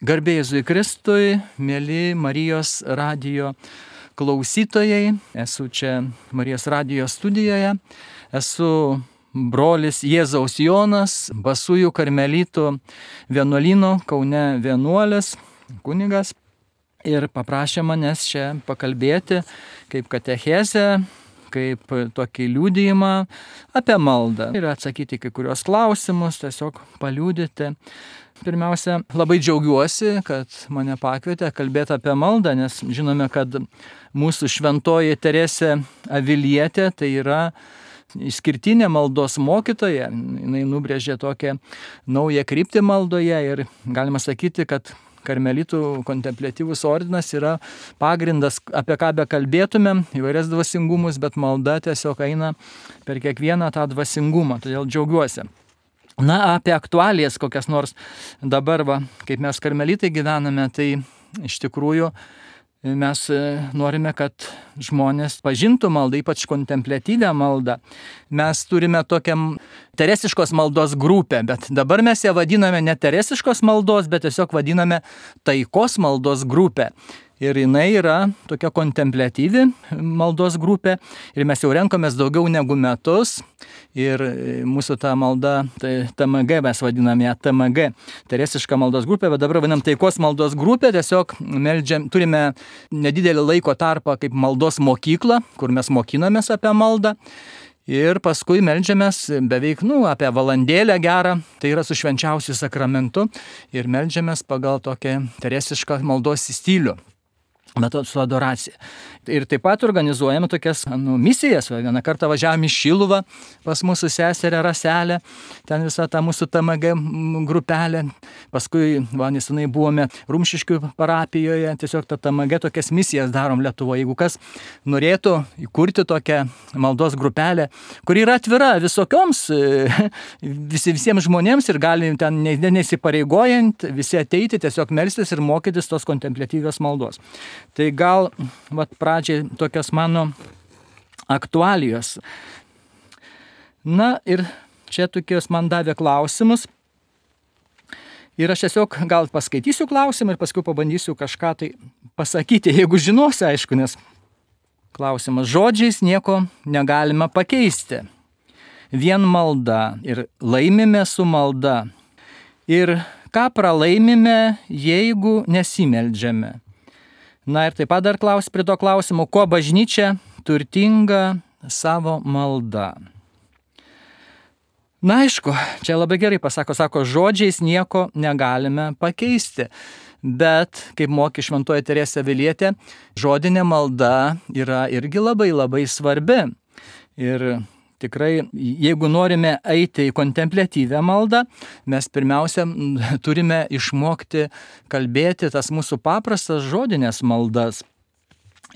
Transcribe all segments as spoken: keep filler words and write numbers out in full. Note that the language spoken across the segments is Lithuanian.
Garbė Jėzui Kristui, mėly Marijos radijo klausytojai, esu čia Marijos radijo studijoje, esu brolis Jėzaus Jonas, Basųjų karmelitų vienuolyno Kaune vienuolis, kunigas, ir paprašė manęs čia pakalbėti kaip katechezę, kaip tokį liudijimą apie maldą ir atsakyti kai kurios klausimus, tiesiog paliudyti. Pirmiausia, labai džiaugiuosi, kad mane pakvietė kalbėti apie maldą, nes žinome, kad mūsų šventoji Teresė Avilietė tai yra išskirtinė maldos mokytoja. Jinai nubrėžė tokią naują kryptį maldoje ir galima sakyti, kad karmelitų kontempliatyvus ordinas yra pagrindas, apie ką be kalbėtumėm, įvairias dvasingumus, bet malda tiesiog eina per kiekvieną tą dvasingumą, todėl džiaugiuosi. Na, apie aktualijas kokias nors dabar, va, kaip mes karmelitai gyvename, tai iš tikrųjų mes norime, kad žmonės pažintų maldą, ypač kontempliatyvią maldą. Mes turime tokią teresiškos maldos grupę, bet dabar mes ją vadiname ne teresiškos maldos, bet tiesiog vadiname taikos maldos grupę. Ir jinai yra tokia kontempliatyvi maldos grupė ir mes jau renkomės daugiau negu metus ir mūsų ta malda, tai T M G mes vadiname ją T M G, teresiška maldos grupė, bet dabar vadinam taikos maldos grupė, tiesiog meldžiam, turime nedidelį laiko tarpą kaip maldos mokykla, kur mes mokinamės apie maldą. Ir paskui meldžiamės beveik, nu, apie valandėlę gerą, tai yra su švenčiausiu sakramentu ir meldžiamės pagal tokią teresišką maldos stilių. Metod su adoracija. Ir taip pat organizuojame tokias nu, misijas. Vieną kartą važiavome į Šiluvą pas mūsų seserę Raselę, ten visa ta mūsų T M G grupelė. Paskui, va, nesenai buvome Rumšiškių parapijoje, tiesiog ta T M G tokias misijas darom Lietuvoje. Jeigu kas norėtų įkurti tokią maldos grupelę, kuri yra atvira visokioms, visi, visiems žmonėms ir gali ten nesipareigojant visi ateiti, tiesiog melstis ir mokytis tos kontempliatyvios maldos. Tai gal vat, pradžiai tokios mano aktualijos. Na ir čia tokios man davė klausimus. Ir aš tiesiog gal paskaitysiu klausimą ir paskui pabandysiu kažką tai pasakyti, jeigu žinosiu, aišku, nes klausimas: žodžiais nieko negalime pakeisti. Vien malda ir laimime su malda. Ir ką pralaimime, jeigu nesimeldžiame? Na ir taip pat dar klaus prie to klausimo, kuo bažnyčia turtinga savo malda. Na aišku, čia labai gerai pasako, sako, žodžiais nieko negalime pakeisti. Bet, kaip mokė šventoji Teresė Avilietė, žodinė malda yra irgi labai labai svarbi. Ir tikrai, jeigu norime eiti į kontempliatyvę maldą, mes pirmiausia turime išmokti kalbėti tas mūsų paprastas žodinės maldas.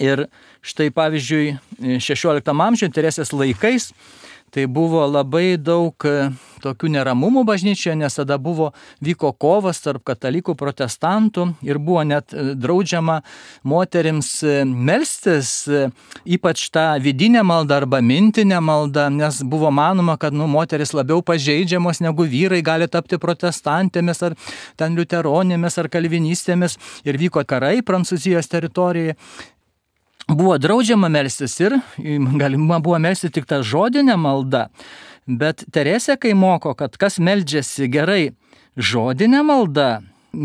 Ir štai pavyzdžiui, šešioliktam amžiuje Teresės laikais tai buvo labai daug tokių neramumų bažnyčioje, nes tada buvo, vyko kovas tarp katalikų protestantų ir buvo net draudžiama moterims melstis, ypač tą vidinę maldą arba mintinę maldą, nes buvo manoma, kad nu, moteris labiau pažeidžiamos negu vyrai gali tapti protestantėmis ar ten liuteronėmis ar kalvinistėmis ir vyko karai Prancūzijos teritorijoje. Buvo draudžiama melstis ir galima buvo melstis tik tą žodinę maldą. Bet Teresė, kai moko, kad kas meldžiasi gerai žodinę maldą,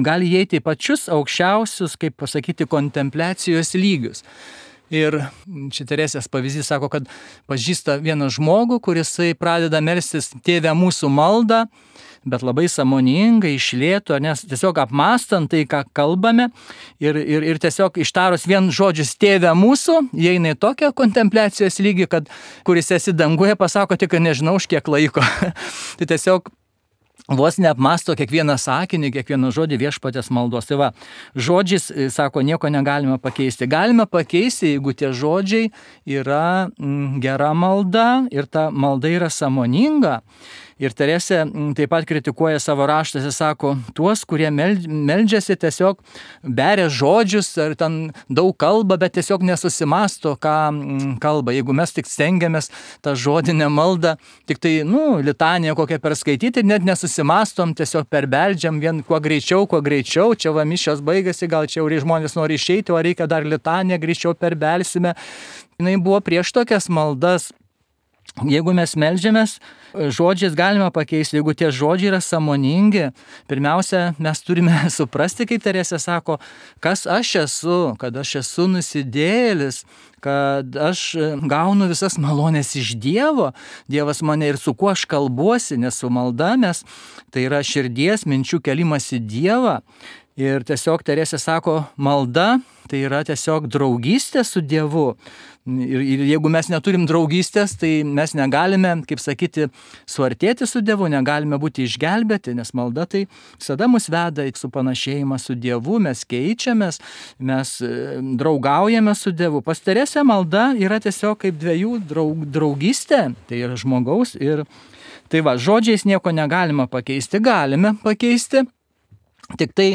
gali įeiti į pačius aukščiausius, kaip pasakyti, kontempliacijos lygius. Ir čia Teresės pavyzdys sako, kad pažįsta vieną žmogų, kuris pradeda melstis Tėve mūsų maldą, bet labai sąmoningai, iš lėto, nes tiesiog apmastant tai, ką kalbame ir, ir, ir tiesiog ištarus vien žodžius Tėve mūsų, įeina į tokią kontempliacijos lygį, kad kuris esi danguje, pasako tik, kad nežinau už kiek laiko. Tai tiesiog vos neapmasto kiekvieną sakinį, kiekvieną žodį viešpatės maldos. Tai va, žodžiais, sako, nieko negalime pakeisti. Galime pakeisti, jeigu tie žodžiai yra mm, gera malda ir ta malda yra sąmoninga. Ir Teresė taip pat kritikuoja savo raštuose, sako, tuos, kurie meldžiasi, tiesiog beria žodžius ar ten daug kalba, bet tiesiog nesusimasto, ką kalba. Jeigu mes tik stengiamės tą žodinę maldą, tik tai, nu, litaniją kokią perskaityti ir net nesusimastom, tiesiog perbeldžiam vien kuo greičiau, kuo greičiau, čia va mišios baigėsi, gal čia jau žmonės nori išeiti, o reikia dar litaniją, greičiau perbelsime. Jis buvo prieš tokias maldas. Jeigu mes meldžiamės, žodžiais galima pakeisti, jeigu tie žodžiai yra sąmoningi, pirmiausia, mes turime suprasti, kaip Teresė sako, kas aš esu, kad aš esu nusidėjėlis, kad aš gaunu visas malonės iš Dievo, Dievas mane ir su kuo aš kalbuosi, nes su malda mes, tai yra širdies minčių kelimas į Dievą. Ir tiesiog Teresė sako, malda tai yra tiesiog draugystė su Dievu. Ir, ir jeigu mes neturim draugystės, tai mes negalime, kaip sakyti, suartėti su Dievu, negalime būti išgelbėti, nes malda tai visada mus veda į supanašėjimą su Dievu, mes keičiamės, mes draugaujame su Dievu. Pas Teresę malda yra tiesiog kaip dviejų draug, draugystė, tai yra žmogaus ir tai va, žodžiais nieko negalima pakeisti, galime pakeisti. Tik tai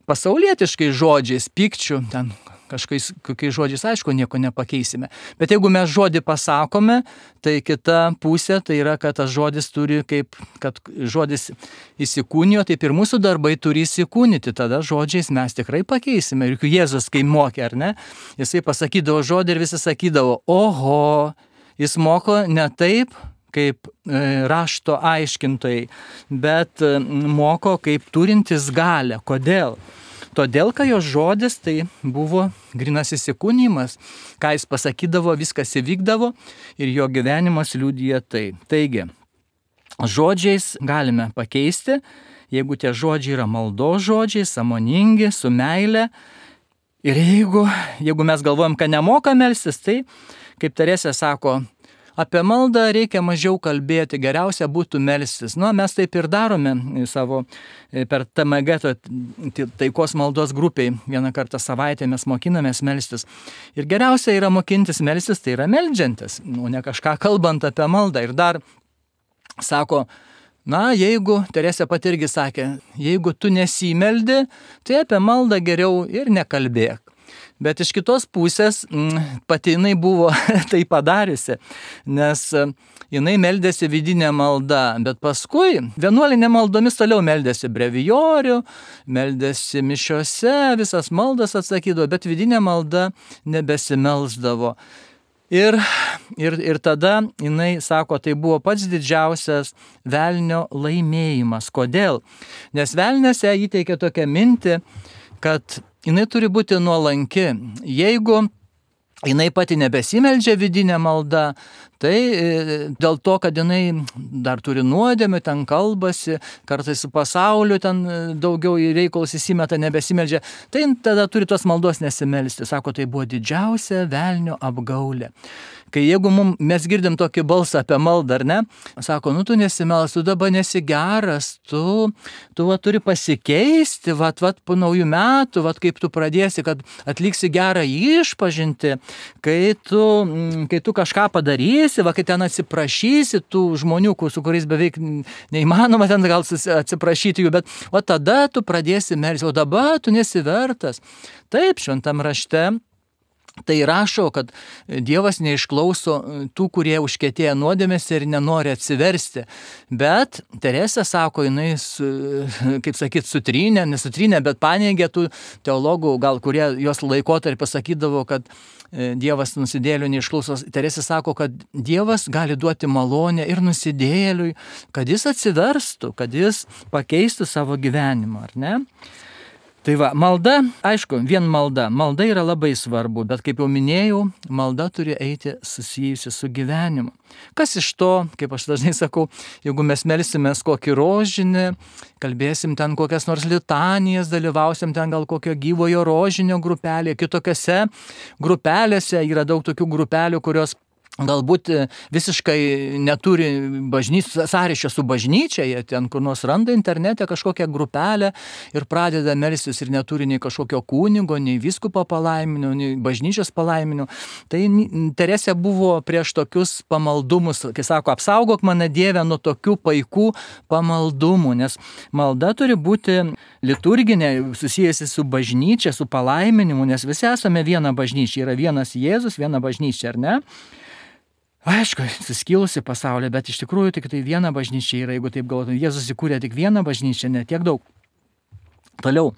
pasaulietiškai žodžiais, pykčių, ten kažkokiais kokiais žodžiais, aišku, nieko nepakeisime. Bet jeigu mes žodį pasakome, tai kita pusė, tai yra, kad tas žodis turi kaip, kad žodis įsikūnijo, taip ir mūsų darbai turi įsikūnyti. Tada žodžiais mes tikrai pakeisime. Ir Jėzus, kai mokė, ar ne, jisai pasakydavo žodį ir visi sakydavo, oho, jis moko ne taip, kaip rašto aiškintojai, bet moko kaip turintis galią. Kodėl? Todėl, kad jo žodis tai buvo grynas įsikūnijimas, ką jis pasakydavo, viskas įvykdavo ir jo gyvenimas liudija tai. Taigi, žodžiais galime pakeisti, jeigu tie žodžiai yra maldos žodžiai, sąmoningi, su meile. Ir jeigu, jeigu mes galvojam, kad nemoka melstis, tai, kaip Teresė sako, apie maldą reikia mažiau kalbėti, geriausia būtų melstis. Nu, mes taip ir darome savo per T M G, taikos maldos grupiai, vieną kartą savaitę mes mokinamės melstis. Ir geriausia yra mokintis melstis, tai yra meldžiantis, o ne kažką kalbant apie maldą. Ir dar sako, na, jeigu, Teresė pat irgi sakė, jeigu tu nesimeldi, tai apie maldą geriau ir nekalbėk. Bet iš kitos pusės pati jinai buvo tai padariusi, nes jinai meldėsi vidinę maldą, bet paskui vienuolinė maldomis toliau meldėsi brevijorių, meldėsi mišiose, visas maldas atsakydavo, bet vidinė malda nebesimelsdavo. Ir, ir, ir tada jinai sako, tai buvo pats didžiausias velnio laimėjimas. Kodėl? Nes velnias ją įteikė tokią mintį, kad jinai turi būti nuolanki. Jeigu jinai pati nebesimeldžia vidinę maldą, tai dėl to, kad jinai dar turi nuodėmių, ten kalbasi, kartais su pasauliu ten daugiau į reikalus įsimeta, nebesimeldžia, tai tada turi tos maldos nesimelsti. Sako, tai buvo didžiausia velnio apgaulė. Kai jeigu mum, mes girdim tokį balsą apie maldą, ar ne, sako, nu tu nesimelsi, tu dabar nesi geras, tu, tu va, turi pasikeisti, va, va, po naujų metų, va, kaip tu pradėsi, kad atliksi gerą išpažinti, kai tu, kai tu kažką padarysi, va, kai ten atsiprašysi tų žmonių, su kuriais beveik neįmanoma ten gal atsiprašyti jų, bet o tada tu pradėsi melsti, o dabar tu nesi vertas. Taip, šventam rašte tai rašo, kad Dievas neišklauso tų, kurie užkietėja nuodėmėse ir nenori atsiversti. Bet Teresė sako, jinai, kaip sakyt, sutrynė, nesutrynė, bet paneigė tų teologų, gal kurie jos laikotarpį pasakydavo, kad Dievas nusidėjėlių neišklauso. Teresė sako, kad Dievas gali duoti malonę ir nusidėjėliui, kad jis atsiverstų, kad jis pakeistų savo gyvenimą, ar ne? Tai va, malda, aišku, vien malda. Malda yra labai svarbu, bet kaip jau minėjau, malda turi eiti susijusi su gyvenimu. Kas iš to, kaip aš dažnai sakau, jeigu mes melsimės kokį rožinį, kalbėsim ten kokias nors litanijas, dalyvausim ten gal kokio gyvojo rožinio grupelė, kitokiose grupelėse yra daug tokių grupelių, kurios galbūt visiškai neturi bažnyčios sąryšio su bažnyčia, jie ten kur nors randa internete kažkokią grupelę ir pradeda melstis ir neturi nei kažkokio kunigo, nei vyskupo palaiminio, nei bažnyčios palaiminio. Tai Teresė buvo prieš tokius pamaldumus, kai sako, apsaugok mane Dieve nuo tokių paikų pamaldumų, nes malda turi būti liturginė, susijusi su bažnyčia, su palaiminimu, nes visi esame viena bažnyčia, yra vienas Jėzus, viena bažnyčia, ar ne? Aišku, suskilusi pasaulyje, bet iš tikrųjų tik tai viena bažnyčia yra, jeigu taip galvotume. Jėzus įkūrė tik vieną bažnyčią, ne tiek daug. Toliau,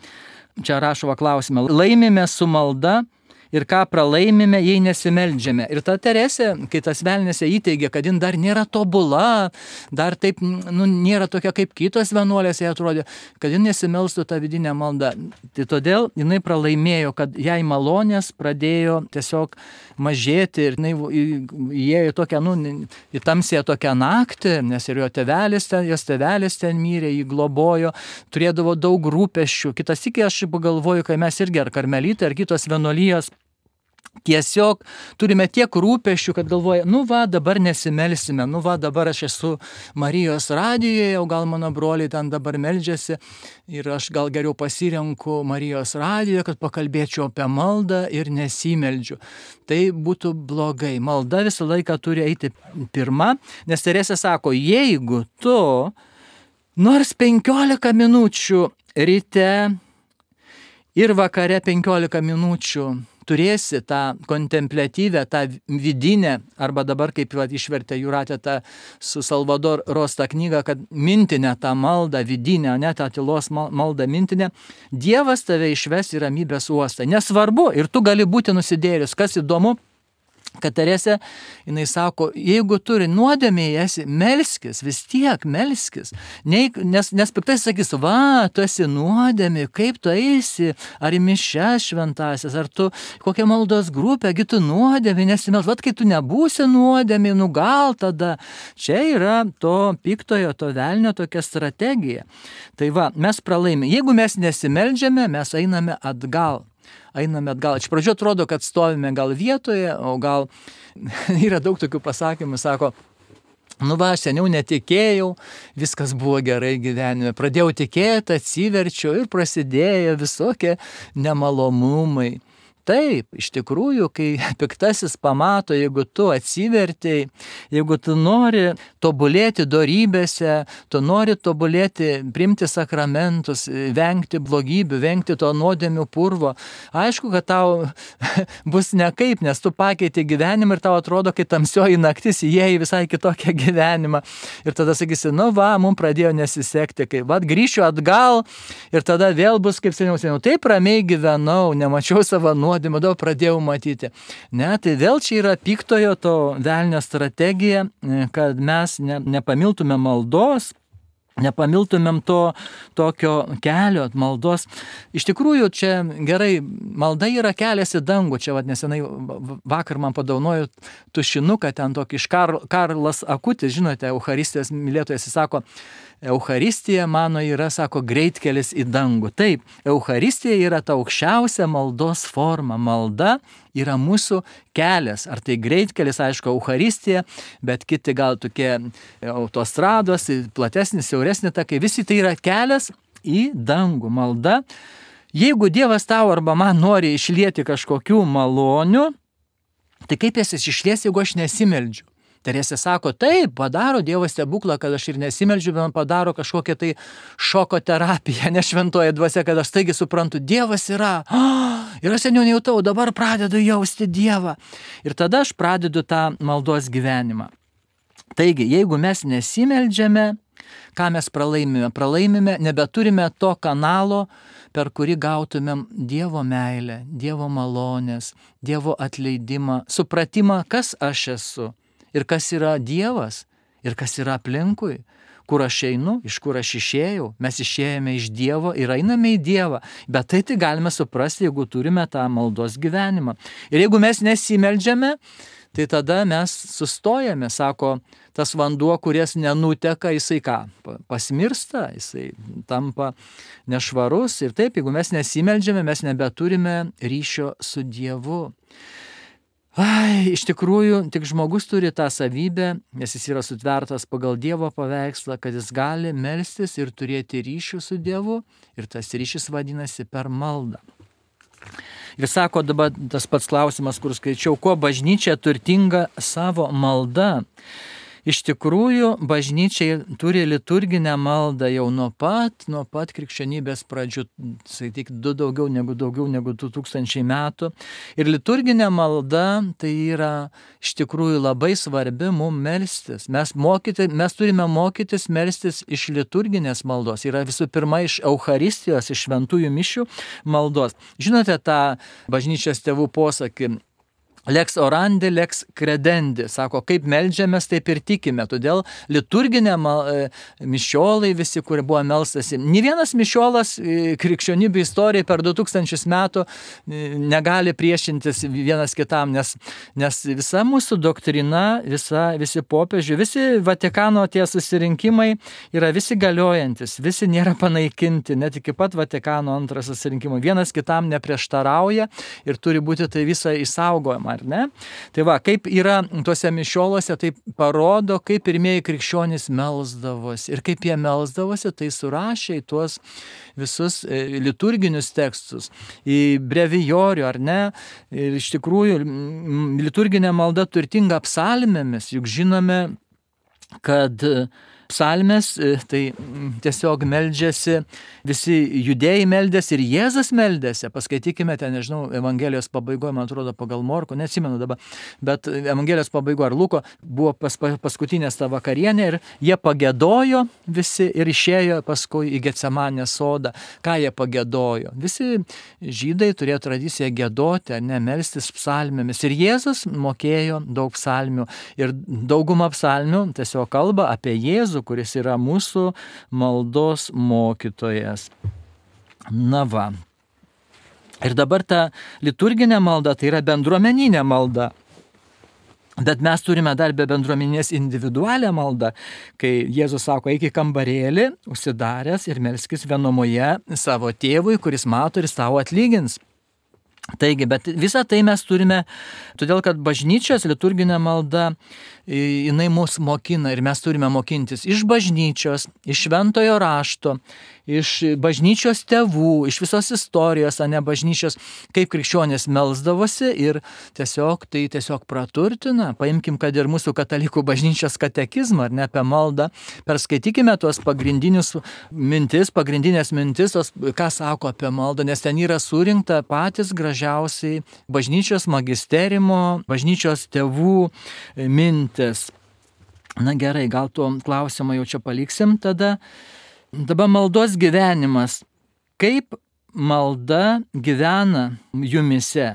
čia rašo klausimą. Laimime su malda ir ką pralaimime, jei nesimeldžiame. Ir ta Teresė, kai tas velnėse įteigia, kad jin dar nėra tobula, dar taip, nu, nėra tokia kaip kitos vienuolės, jai atrodė, kad jin nesimelstų tą vidinę maldą. Tai todėl jinai pralaimėjo, kad jai malonės pradėjo tiesiog mažėti ir jinai įėjo į tokią, nu, į tamsėje tokią naktį, nes ir jo tėvelis ten, jos tėvelis ten mirė, jį globojo, turėdavo daug rūpesčių. Kitas iki aš pagalvoju, kai mes irgi ar karmelitai, ar kitos vienuolijos, tiesiog turime tiek rūpesčių, kad galvoja, nu va, dabar nesimelsime, nu va, dabar aš esu Marijos radijoje, o gal mano broliai ten dabar meldžiasi ir aš gal geriau pasirenku Marijos radijoje, kad pakalbėčiau apie maldą ir nesimeldžiu. Tai būtų blogai. Malda visą laiką turi eiti pirma, nes Teresė sako, jeigu tu nors penkiolika minučių ryte ir vakare penkiolika minučių turėsi tą kontempliatyvę, tą vidinę, arba dabar, kaip va, išvertė Jūratė tą su Salvador Rosta knygą, kad mintinę tą maldą, vidinę, ne tą tylos maldą mintinę, Dievas tave išves į ramybės uostą. Nesvarbu, ir tu gali būti nusidėjęs. Kas įdomu, kad Teresė, jinai sako, jeigu turi nuodėmė esi, melskis, vis tiek melskis. Nei, nes, nes piktai sakys, va, tu esi nuodėmė, kaip tu eisi, ar į mišias šventasias, ar tu kokią maldos grupę, gi tu nuodėmė nesimels, va, kai tu nebūsi nuodėmė, nu gal tada. Čia yra to piktojo, to velnio tokia strategija. Tai va, mes pralaimime. Jeigu mes nesimeldžiame, mes einame atgal. Einame atgal. Iš pradžio atrodo, kad stovime gal vietoje, o gal yra daug tokių pasakymų, sako, nu va, aš seniau netikėjau, viskas buvo gerai gyvenime. Pradėjau tikėti, atsiverčiau ir prasidėjo visokie nemalonumai. Taip, iš tikrųjų, kai piktasis pamato, jeigu tu atsivertei, jeigu tu nori tobulėti dorybėse, tu nori tobulėti, priimti sakramentus, vengti blogybių, vengti to nuodėmių purvo, aišku, kad tau bus nekaip, nes tu pakeiti gyvenimą ir tau atrodo, kai tamsioji naktis įėjai visai kitokią gyvenimą. Ir tada sakysi, nu va, mums pradėjo nesisekti, kai va, grįšiu atgal ir tada vėl bus kaip seniau, seniau. Taip ramiai gyvenau, nemačiau savo nuodėmių. Dabar pradėjau matyti. Ne, tai vėl čia yra piktojo to velnio strategija, kad mes ne, nepamiltume maldos, nepamiltumėm to tokio kelio maldos. Iš tikrųjų, čia gerai, malda yra kelias į dangų. Čia vat, nesenai vakar man padaunojo tušinuką, ten tokį iš Kar, Karlas Akutis, žinote, Eucharistijos mylėtojas, jis sako, Eucharistija mano yra, sako, greitkelis į dangų. Taip, Eucharistija yra ta aukščiausia maldos forma. Malda yra mūsų kelias. Ar tai greitkelis, aišku, Eucharistija, bet kiti gal tokie autostrados, platesnis, siauresnis takai. Visi tai yra kelias į dangų. Malda. Jeigu Dievas tau arba man nori išlieti kažkokių malonių, tai kaip jas išlies, jeigu aš nesimeldžiu? Teresė sako, taip, padaro Dievas stebuklą, kad aš ir nesimeldžiu, bet man padaro kažkokią tai šoko terapiją, ne šventoji dvasia, kad aš taigi suprantu, Dievas yra. Oh, ir aš seniau nejautau, dabar pradedu jausti Dievą. Ir tada aš pradedu tą maldos gyvenimą. Taigi, jeigu mes nesimeldžiame, ką mes pralaimime? Pralaimime, nebeturime to kanalo, per kurį gautumėm Dievo meilę, Dievo malonės, Dievo atleidimą, supratimą, kas aš esu. Ir kas yra Dievas, ir kas yra aplinkui, kur aš einu, iš kur aš išėjau, mes išėjome iš Dievo ir einame į Dievą, bet tai tai galime suprasti, jeigu turime tą maldos gyvenimą. Ir jeigu mes nesimeldžiame, tai tada mes sustojame, sako, tas vanduo, kuris nenuteka, jisai ką, pasmirsta, jisai tampa nešvarus ir taip, jeigu mes nesimeldžiame, mes nebeturime ryšio su Dievu. Ai, iš tikrųjų, tik žmogus turi tą savybę, nes jis yra sutvertas pagal Dievo paveikslą, kad jis gali melstis ir turėti ryšių su Dievu, ir tas ryšys vadinasi per maldą. Ir sako dabar tas pats klausimas, kur skaičiau, kuo bažnyčia turtinga savo malda. Iš tikrųjų, bažnyčia turi liturginę maldą jau nuo pat, nuo pat krikščionybės pradžių, sakyk, du daugiau negu daugiau negu du tūkstančiai metų. Ir liturginė malda tai yra iš tikrųjų labai svarbi mums melstis. Mes, mokyti, mes turime mokytis melstis iš liturginės maldos. Yra visų pirma iš Eucharistijos, iš šventųjų mišių maldos. Žinote tą bažnyčios tėvų posakį? Lex orandi, lex credendi. Sako, kaip meldžiamės, taip ir tikime. Todėl liturginė mišiolai visi, kurie buvo melstasi. Nė vienas mišiolas krikščionybių istorijai per du tūkstančius metų negali priešintis vienas kitam, nes, nes visa mūsų doktrina, visa, visi popiežių, visi Vatikano tie susirinkimai yra visi galiojantis, visi nėra panaikinti, net iki pat Vatikano antrojo susirinkimo. Vienas kitam neprieštarauja ir turi būti tai visa išsaugojama. Ar ne? Tai va, kaip yra tuose mišiolose, tai parodo, kaip pirmieji krikščionys melsdavosi. Ir kaip jie melsdavosi, tai surašė į tuos visus liturginius tekstus, į brevijorių, ar ne? Ir iš tikrųjų, liturginė malda turtinga psalmėmis, juk žinome, kad psalmės, tai tiesiog meldžiasi, visi judėjai meldėsi ir Jėzus meldėsi. Paskaitykime ten, nežinau, Evangelijos pabaigoje, man atrodo, pagal Morko, neatsimenu dabar, bet Evangelijos pabaigoje ar Luko buvo pas, paskutinės ta vakarienė ir jie pagėdojo visi ir išėjo paskui į Getsemanės sodą. Ką jie pagėdojo? Visi žydai turėjo tradiciją gėdoti, ar ne, melstis psalmėmis. Ir Jėzus mokėjo daug psalmių. Ir dauguma psalmių tiesiog kalba apie Jėzų, kuris yra mūsų maldos mokytojas. Na va. Ir dabar ta liturginė malda, tai yra bendruomeninė malda. Bet mes turime dar be bendruomenės individualią maldą, kai Jėzus sako, eik į kambarėlį, užsidaręs ir melskis vienumoje savo tėvui, kuris mato ir savo atlygins. Taigi, bet visą tai mes turime, todėl kad bažnyčios liturginė malda, jinai mus mokina ir mes turime mokintis iš bažnyčios, iš šventojo rašto, iš bažnyčios tėvų, iš visos istorijos, o ne bažnyčios, kaip krikščionys melsdavosi ir tiesiog tai tiesiog praturtina. Paimkim, kad ir mūsų katalikų bažnyčios katekizmą, ar ne, apie maldą, perskaitykime tuos pagrindinius mintis, pagrindinės mintis, tos, ką sako apie maldą, nes ten yra surinkta patys gražiausiai bažnyčios magisterimo, bažnyčios tėvų mintis. Na gerai, gal tuo klausimą jau čia paliksim tada. Dabar maldos gyvenimas. Kaip malda gyvena jumise?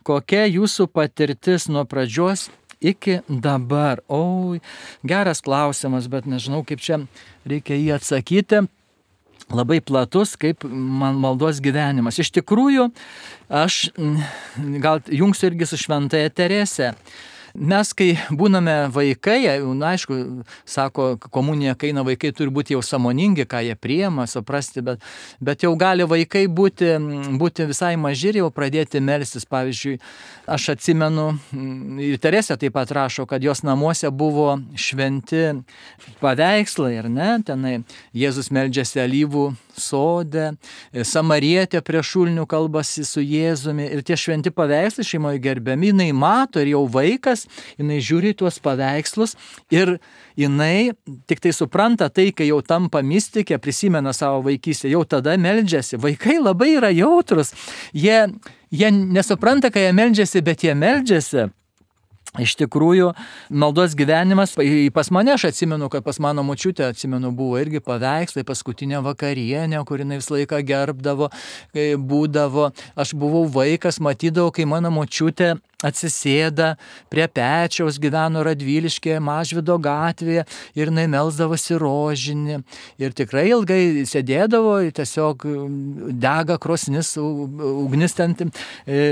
Kokia jūsų patirtis nuo pradžios iki dabar? O, geras klausimas, bet nežinau, kaip čia reikia jį atsakyti. Labai platus, kaip man maldos gyvenimas. Iš tikrųjų, aš gal jungsiu irgi su šventąja Terese. Mes, kai būname vaikai, na, aišku, sako, komunija, kai eina vaikai, turi būti jau sąmoningi, ką jie priima, suprasti, bet, bet jau gali vaikai būti, būti visai maži ir jau pradėti melstis. Pavyzdžiui, aš atsimenu, ir Teresė taip pat rašo, kad jos namuose buvo šventi paveikslai, ar ne, tenai Jėzus meldžiasi alyvų sode, Samarietė prie šulinių kalbasi su Jėzumi ir tie šventi paveikslai šeimoje gerbiami, jinai mato ir jau vaikas, jinai žiūri tuos paveikslus ir jinai tik tai supranta tai, kai jau tampa mistikė, prisimena savo vaikystę, jau tada meldžiasi. Vaikai labai yra jautrus, jie, jie nesupranta, kai jie meldžiasi, bet jie meldžiasi. Iš tikrųjų, maldos gyvenimas, pas mane aš atsimenu, kad pas mano močiutę, atsimenu, buvo irgi paveikslai, paskutinė vakarienė, kur jinai visą laiką gerbdavo, kai būdavo. Aš buvau vaikas, matydavau, kai mano močiutė atsisėda prie pečiaus, gyveno Radviliškėje, Mažvydo gatvėje ir jinai melsdavosi rožinį. Ir tikrai ilgai sėdėdavo, tiesiog dega krosnis, ugnis ten,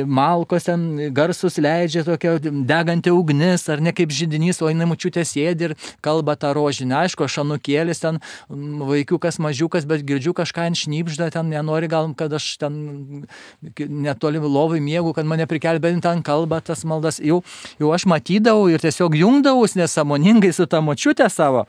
malkos ten, garsus leidžia tokia deganti ugnis, ar ne kaip židinys, o jinai močiutė sėdi ir kalba tą rožinį. Aišku, šanukėlis ten, vaikiukas mažiukas, bet girdžiu kažką ant šnybžda, ten nenori gal, kad aš ten netoli lovai miegu, kad mane prikelbė, ten kalba kalba tas maldas, jau, jau aš matydavau ir tiesiog jungdavus nesąmoningai su ta močiute savo.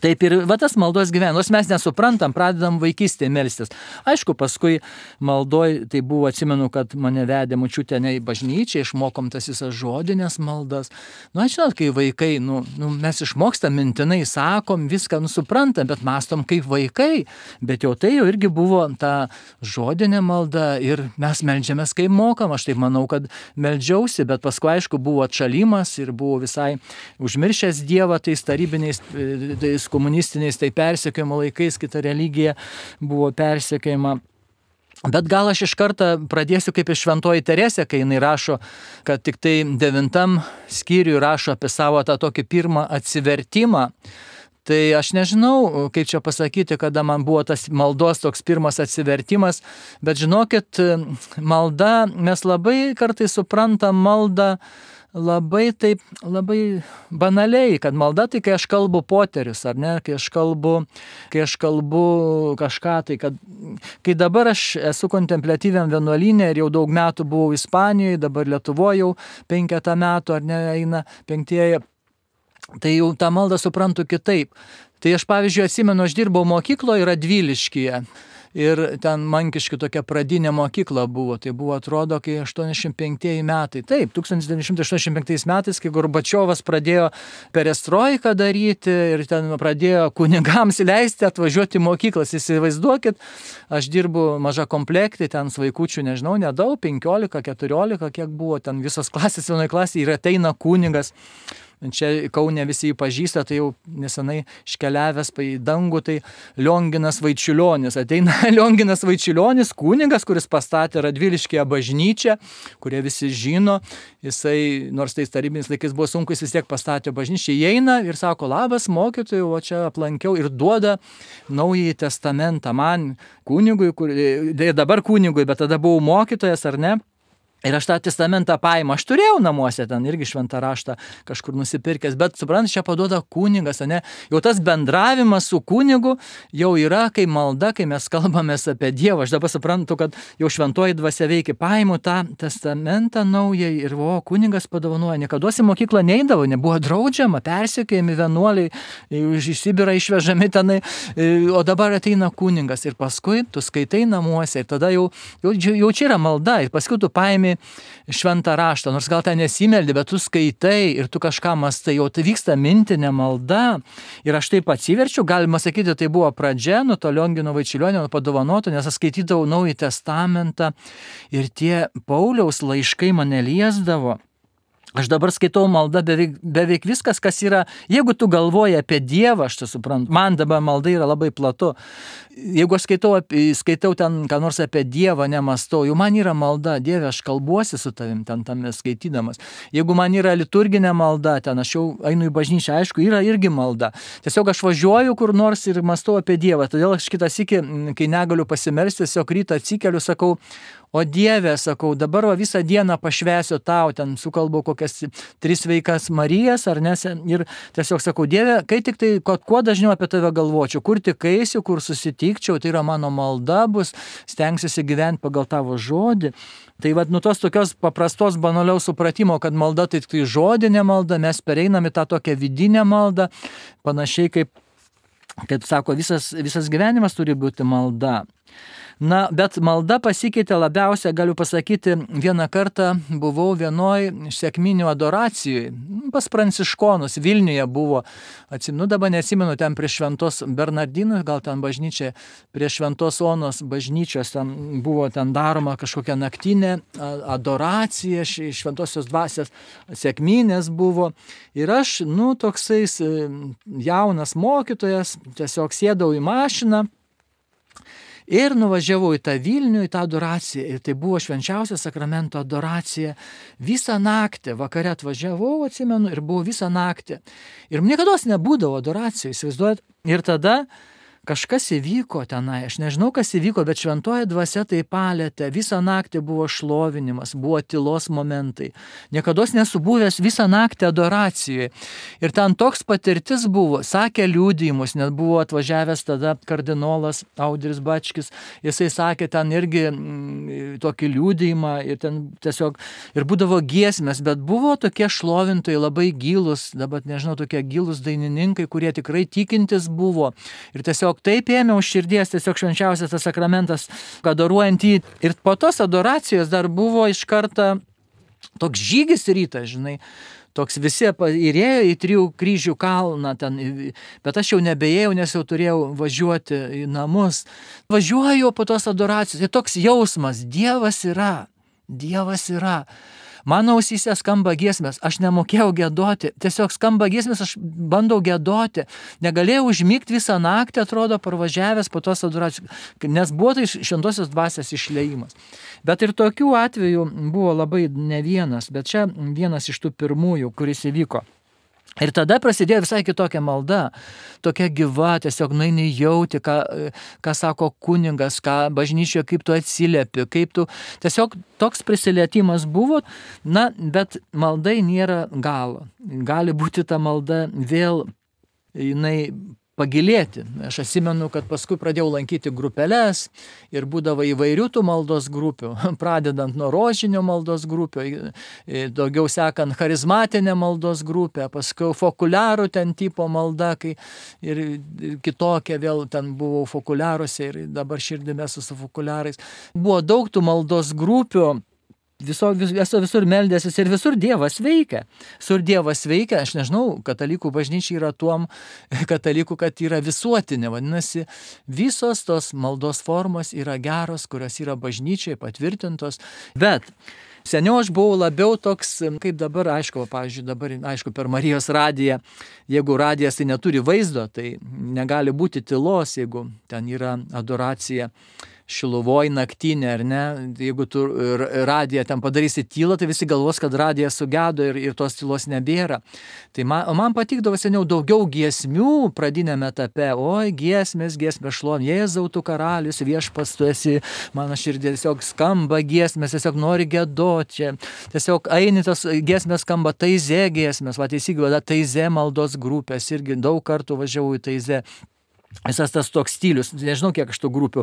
Taip ir va tas maldos gyvenimas, mes nesuprantam, pradedam vaikystėje melstis. Aišku, paskui maldoj, tai buvo, atsimenu, kad mane vedė močiutė ne į bažnyčią, išmokom tas visas žodinės maldas. Nu, aš žinot, kai vaikai, nu, nu, mes išmokstam mintinai, sakom, viską nu, suprantam, bet mastom kaip vaikai. Bet jau tai jau irgi buvo ta žodinė malda ir mes meldžiamės kaip mokam. Aš taip manau, kad meldžiausi, bet paskui, aišku, buvo atšalimas ir buvo visai užmiršęs Dievą tais tarybiniais tais komunistiniais, tai persekiojimo laikais, kita religija buvo persekiojama. Bet gal aš iš karto pradėsiu kaip iš Šventoji Teresė, kai jinai rašo, kad tik tai devintam skyriui rašo apie savo tą tokį pirmą atsivertimą. Tai aš nežinau, kaip čia pasakyti, kada man buvo tas maldos toks pirmas atsivertimas, bet žinokit, malda, mes labai kartais suprantam maldą labai taip, labai banaliai, kad malda tai, kai aš kalbu poterius, ar ne, kai aš kalbu, kai aš kalbu kažką, tai kad, kai dabar aš esu kontempliatyviam vienuolyne ir jau daug metų buvau Ispanijoje, dabar Lietuvoje jau penketą metų, ar ne, eina penktieji, tai jau tą maldą suprantu kitaip. Tai aš, pavyzdžiui, atsimenu, aš dirbau mokykloje Radviliškyje. Ir ten Mankiškių tokia pradinė mokykla buvo, tai buvo atrodo, kai aštuoniasdešimt penktieji metai. Taip, tūkstantis devyni šimtai aštuoniasdešimt penktais metais, kai Gorbačiovas pradėjo perestroiką daryti ir ten pradėjo kunigams leisti atvažiuoti į mokyklas. Įsivaizduokit, aš dirbu maža komplektai, ten vaikučių, nežinau, nedaug, penkiolika, keturiolika, kiek buvo, ten visos klasės vienoje klasėje ir ateina kunigas. Čia Kaune visi jį pažįsta, tai jau nesenai iškeliavęs į dangų, tai Lionginas Vaičiulionis. Ateina Lionginas Vaičiulionis, kunigas, kuris pastatė Radviliškyje bažnyčią, kurie visi žino. Jisai, nors tais tarybiniais laikais buvo sunku, jis vis tiek pastatė bažnyčią, įeina ir sako, labas mokytojau, o čia aplankiau ir duoda Naująjį testamentą man, kunigui, kur, dabar kunigui, bet tada buvau mokytojas, ar ne? Ir aš tą testamentą paimu, aš turėjau namuose ten irgi šventą raštą kažkur nusipirkęs, bet suprant, čia paduoda kunigas, ne? Jau tas bendravimas su kunigu jau yra kaip malda, kai mes kalbamės apie Dievą. Aš dabar suprantu, kad jau šventoji dvasia veikia, paimu tą testamentą naują ir o, kunigas padovanoja. Niekada į mokyklą neidavo, nebuvo draudžiama, persekiojami vienuoliai, iš Sibirą išvežami tenai, o dabar ateina kunigas ir paskui tu skaitai namuose ir tada jau, jau, jau čia yra malda ir paskui tu paimi šventą raštą, nors gal ten nesimeldi, bet tu skaitai ir tu kažką mastai, jau tai vyksta mintinė malda. Ir aš taip atsiverčiu, galima sakyti, tai buvo pradžia, nuo to Liongino Vaičiulionio padovanoto, nes aš skaitydavau Naująjį testamentą ir tie Pauliaus laiškai mane liesdavo. Aš dabar skaitau maldą beveik, beveik viskas, kas yra, jeigu tu galvoji apie Dievą, aš tai suprantu, man dabar malda yra labai platu. Jeigu aš skaitau, skaitau ten, ką nors apie Dievą nemastau, jau man yra malda, Dieve, aš kalbuosi su tavim ten tame skaitydamas. Jeigu man yra liturginė malda, ten aš jau einu į bažnyčią, aišku, yra irgi malda. Tiesiog aš važiuoju kur nors ir mastau apie Dievą, todėl aš kitą sykį, kai negaliu pasimelsti, tiesiog rytą atsikeliu, sakau, o Dieve, sakau, dabar va, visą dieną pašvęsiu tau, ten sukalbu kokias tris veikas Marijas, ar ne, ir tiesiog sakau, Dieve, kai tik tai, kuo dažniau apie tave galvočiau, kur tik eisiu, kur susitikčiau, tai yra mano malda bus, stengsiuosi gyventi pagal tavo žodį. Tai vad, nu tos tokios paprastos banaliaus supratimo, kad malda tai tik žodinė malda, mes pereinam į tą tokią vidinę maldą, panašiai kaip, kaip sako, visas, visas gyvenimas turi būti malda. Na, bet malda pasikeitė labiausia, galiu pasakyti, vieną kartą buvau vienoj sekminių adoracijoj, pas pranciškonus, Vilniuje buvo, atsimenu, dabar neatsimenu, ten prie Šventos Bernardinų, gal ten bažnyčia, prie Šventos Onos bažnyčios, ten buvo ten daroma kažkokia naktinė adoracija, Šventosios dvasios sekminės buvo. Ir aš, nu, toksais jaunas mokytojas, tiesiog sėdau į mašiną, ir nuvažiavau į tą Vilnių, į tą adoraciją. Ir tai buvo švenčiausio sakramento adoracija. Visą naktį, vakare atvažiavau, atsimenu, ir buvo visą naktį. Ir niekada nebūdavo adoracijų, įsivaizduojat. Ir tada kažkas įvyko tenai, aš nežinau, kas įvyko, bet šventoji dvasia tai palėtė, visą naktį buvo šlovinimas, buvo tylos momentai, niekados nesubuvęs visą naktį adoracijoje. Ir ten toks patirtis buvo, sakė liudijimus, net buvo atvažiavęs tada kardinolas Audris Bačkis, jisai sakė ten irgi mm, tokį liudijimą ir ten tiesiog, ir būdavo giesmės, bet buvo tokie šlovintojai labai gilus, dabar nežinau, tokie gilus dainininkai, kurie tikrai tikintis buvo. Ir tiesiog taip ėmė už širdies, tiesiog švenčiausias tas sakramentas, adoruojant jį. Ir po tos adoracijos dar buvo iš karto toks žygis rytas, žinai, toks visi įrėjo į Trijų kryžių kalną ten, bet aš jau nebejėjau, nes jau turėjau važiuoti į namus. Važiuoju po tos adoracijos ir toks jausmas, Dievas yra, Dievas yra. Mano ausyse skamba giesmės, aš nemokėjau giedoti, tiesiog skamba giesmės, aš bandau giedoti, negalėjau užmigti visą naktį, atrodo, parvažiavęs po tos adoracijos, nes buvo tai šventosios dvasios išleimas. Bet ir tokių atvejų buvo labai ne vienas, bet čia vienas iš tų pirmųjų, kuris įvyko. Ir tada prasidėjo visai kitokia malda, tokia gyva, tiesiog nueini jauti, ką, ką sako kuningas, ką bažnyčioje, kaip tu atsiliepi, kaip tu, tiesiog toks prisilietimas buvo, na, bet maldai nėra galo. Gali būti ta malda vėl, jinai pagilėti. Aš atsimenu, kad paskui pradėjau lankyti grupeles ir būdavo įvairių tų maldos grupių, pradedant nuo rožinio maldos grupių, daugiau sekant charizmatinę maldos grupę, paskui fokuliarų ten tipo malda, kai ir kitokia vėl ten buvau fokuliaruose ir dabar širdime su fokuliarais. Buvo daug tų maldos grupių. Viso, vis, esu visur meldęsis ir visur Dievas veikia. Visur Dievas veikia, aš nežinau, katalikų bažnyčia yra tuom katalikų, kad yra visuotinė. Vadinasi, visos tos maldos formos yra geros, kurios yra bažnyčiai patvirtintos. Bet seniau aš buvau labiau toks, kaip dabar, aišku, pavyzdžiui, dabar, aišku, per Marijos radiją, jeigu radijas tai neturi vaizdo, tai negali būti tylos, jeigu ten yra adoracija Šiluvoj naktinė, ar ne, jeigu tu radiją ten padarysi tylą, tai visi galvos, kad radijas sugedo ir, ir tos tylos nebėra. Tai man, man patikdavo seniau daugiau giesmių pradinėme etape, oi, giesmės, giesmės šlovė, Jėzau tu karalius, viešpats tu esi, mano širdė tiesiog skamba giesmės, tiesiog nori giedoti čia, tiesiog eini tas giesmės skamba, Taizė giesmės, va teisingai, Taizė maldos grupės, irgi daug kartų važiavau į Taizė. Visas tas toks stilius, nežinau kiek aš tų grupių,